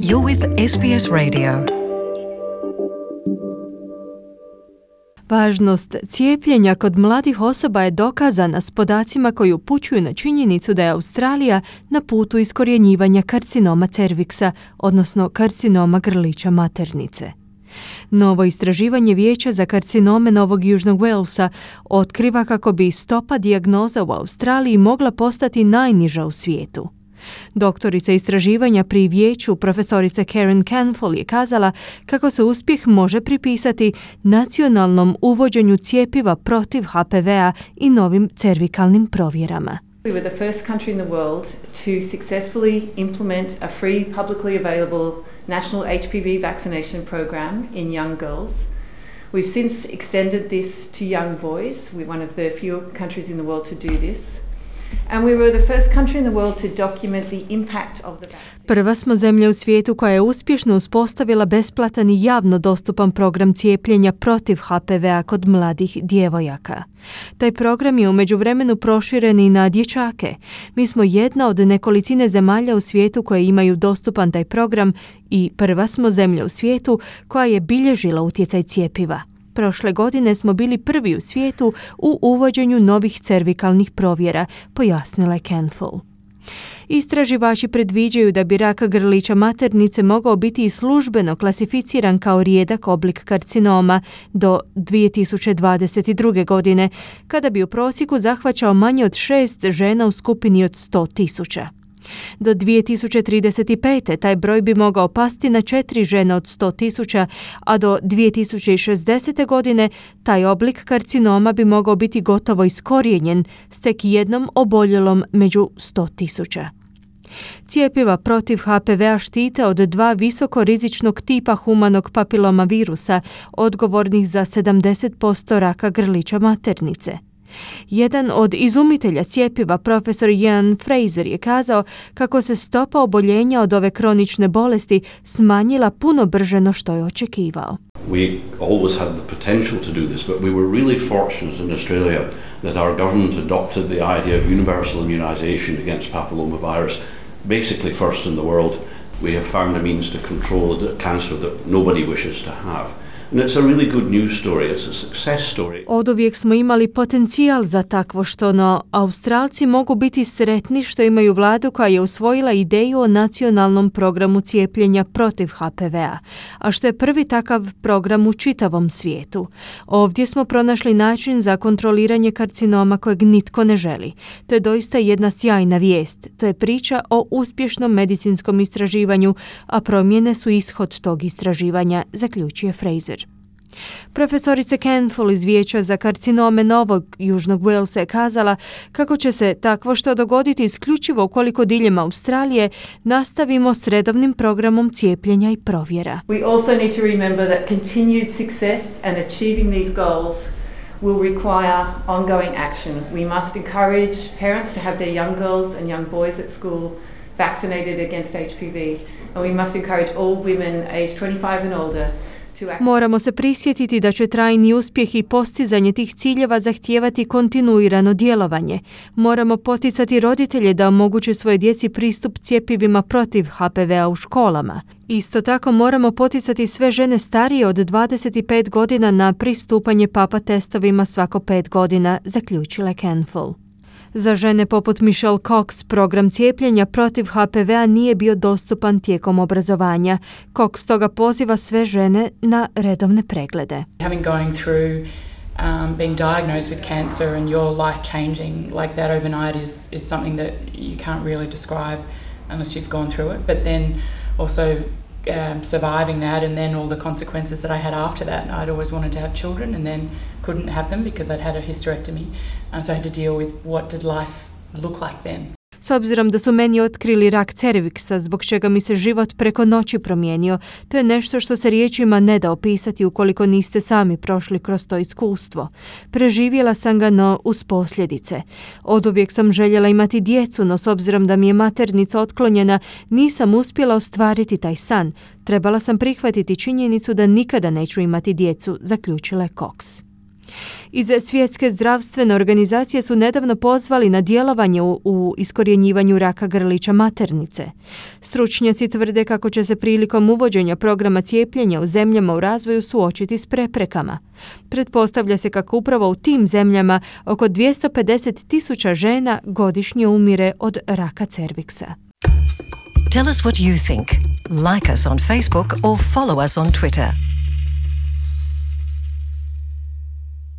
You're with SBS Radio. Važnost cijepljenja kod mladih osoba je dokazana s podacima koji upućuju na činjenicu da je Australija na putu iskorjenjivanja karcinoma cerviksa, odnosno karcinoma grlića maternice. Novo istraživanje Vijeća za karcinome Novog Južnog Walesa otkriva kako bi stopa dijagnoza u Australiji mogla postati najniža u svijetu. Doktorica istraživanja pri vijeću, profesorica Karen Canfol, je kazala kako se uspjeh može pripisati nacionalnom uvođenju cjepiva protiv HPV-a i novim cervikalnim provjerama. We were the first country in the world to successfully implement a free, publicly available national HPV vaccination program in young girls. We've since extended this to young boys. We're one of the few countries in the world to do this. And we were the first country in the world to document the impact of the vaccine. Prva smo zemlja u svijetu koja je uspješno uspostavila besplatan i javno dostupan program cijepljenja protiv HPV-a kod mladih djevojaka. Taj program je u međuvremenu proširen i na dječake. Mi smo jedna od nekolicine zemalja u svijetu koje imaju dostupan taj program i prva smo zemlja u svijetu koja je bilježila utjecaj cjepiva. Prošle godine smo bili prvi u svijetu u uvođenju novih cervikalnih provjera, pojasnila je Canfol. Istraživači predviđaju da bi rak grlića maternice mogao biti i službeno klasificiran kao rijedak oblik karcinoma do 2022. godine, kada bi u prosjeku zahvaćao manje od 6 žena u skupini od 100.000. Do 2035. taj broj bi mogao pasti na 4 žene od 100.000, a do 2060. godine taj oblik karcinoma bi mogao biti gotovo iskorijenjen s tek jednom oboljelom među 100.000. Cijepiva protiv HPV-a štite od 2 visokorizičnog tipa humanog papiloma virusa, odgovornih za 70% raka grlića maternice. Jedan od izumitelja cijepiva, profesor Ian Fraser, je kazao kako se stopa oboljenja od ove kronične bolesti smanjila puno brže no što je očekivao. We always had the potential to do this, but we were really fortunate in Australia that our government adopted the idea of universal immunization against papillomavirus, basically first in the world. We have found a means to control the cancer that nobody wishes to have. And it's a really good news story. It's a success story. Oduvijek smo imali potencijal za takvo što, no Australci mogu biti sretni što imaju vladu koja je usvojila ideju o nacionalnom programu cijepljenja protiv HPV-a, a što je prvi takav program u čitavom svijetu. Ovdje smo pronašli način za kontroliranje karcinoma kojeg nitko ne želi. To je doista jedna sjajna vijest. To je priča o uspješnom medicinskom istraživanju, a promjene su ishod tog istraživanja, zaključuje Fraser. Profesorica Canfol iz Vijeća za karcinome Novog Južnog Walesa je kazala kako će se takvo što dogoditi isključivo ukoliko diljem Australije nastavimo s redovnim programom cijepljenja i provjera. We also need to remember that continued success and achieving these goals will require ongoing action. We must encourage parents to have their young girls and young boys at school vaccinated against HPV, and we must encourage all women aged 25 and older. Moramo se prisjetiti da će trajni uspjeh i postizanje tih ciljeva zahtijevati kontinuirano djelovanje. Moramo poticati roditelje da omoguće svoje djeci pristup cjepivima protiv HPV-a u školama. Isto tako moramo poticati sve žene starije od 25 godina na pristupanje papa testovima svako 5 godina, zaključila je Canfol. Za žene poput Michelle Cox program cijepljenja protiv HPV-a nije bio dostupan tijekom obrazovanja. Cox toga poziva sve žene na redovne preglede. Having going through being diagnosed with cancer and your life changing like that overnight is something that you can't really describe unless you've gone through it. But then also surviving that and then all the consequences that I had after that. I'd always wanted to have children and then couldn't have them because I'd had a hysterectomy. So I had to deal with what did life look like then. S obzirom da su meni otkrili rak cerviksa, zbog čega mi se život preko noći promijenio, to je nešto što se riječima ne da opisati ukoliko niste sami prošli kroz to iskustvo. Preživjela sam ga, no uz posljedice. Oduvijek sam željela imati djecu, no s obzirom da mi je maternica otklonjena, nisam uspjela ostvariti taj san. Trebala sam prihvatiti činjenicu da nikada neću imati djecu, zaključila je Cox. Iz Svjetske zdravstvene organizacije su nedavno pozvali na djelovanje u iskorjenjivanju raka grlića maternice. Stručnjaci tvrde kako će se prilikom uvođenja programa cijepljenja u zemljama u razvoju suočiti s preprekama. Pretpostavlja se kako upravo u tim zemljama oko 250,000 žena godišnje umire od raka cerviksa. Tell us what you think. Like us on Facebook or follow us on Twitter.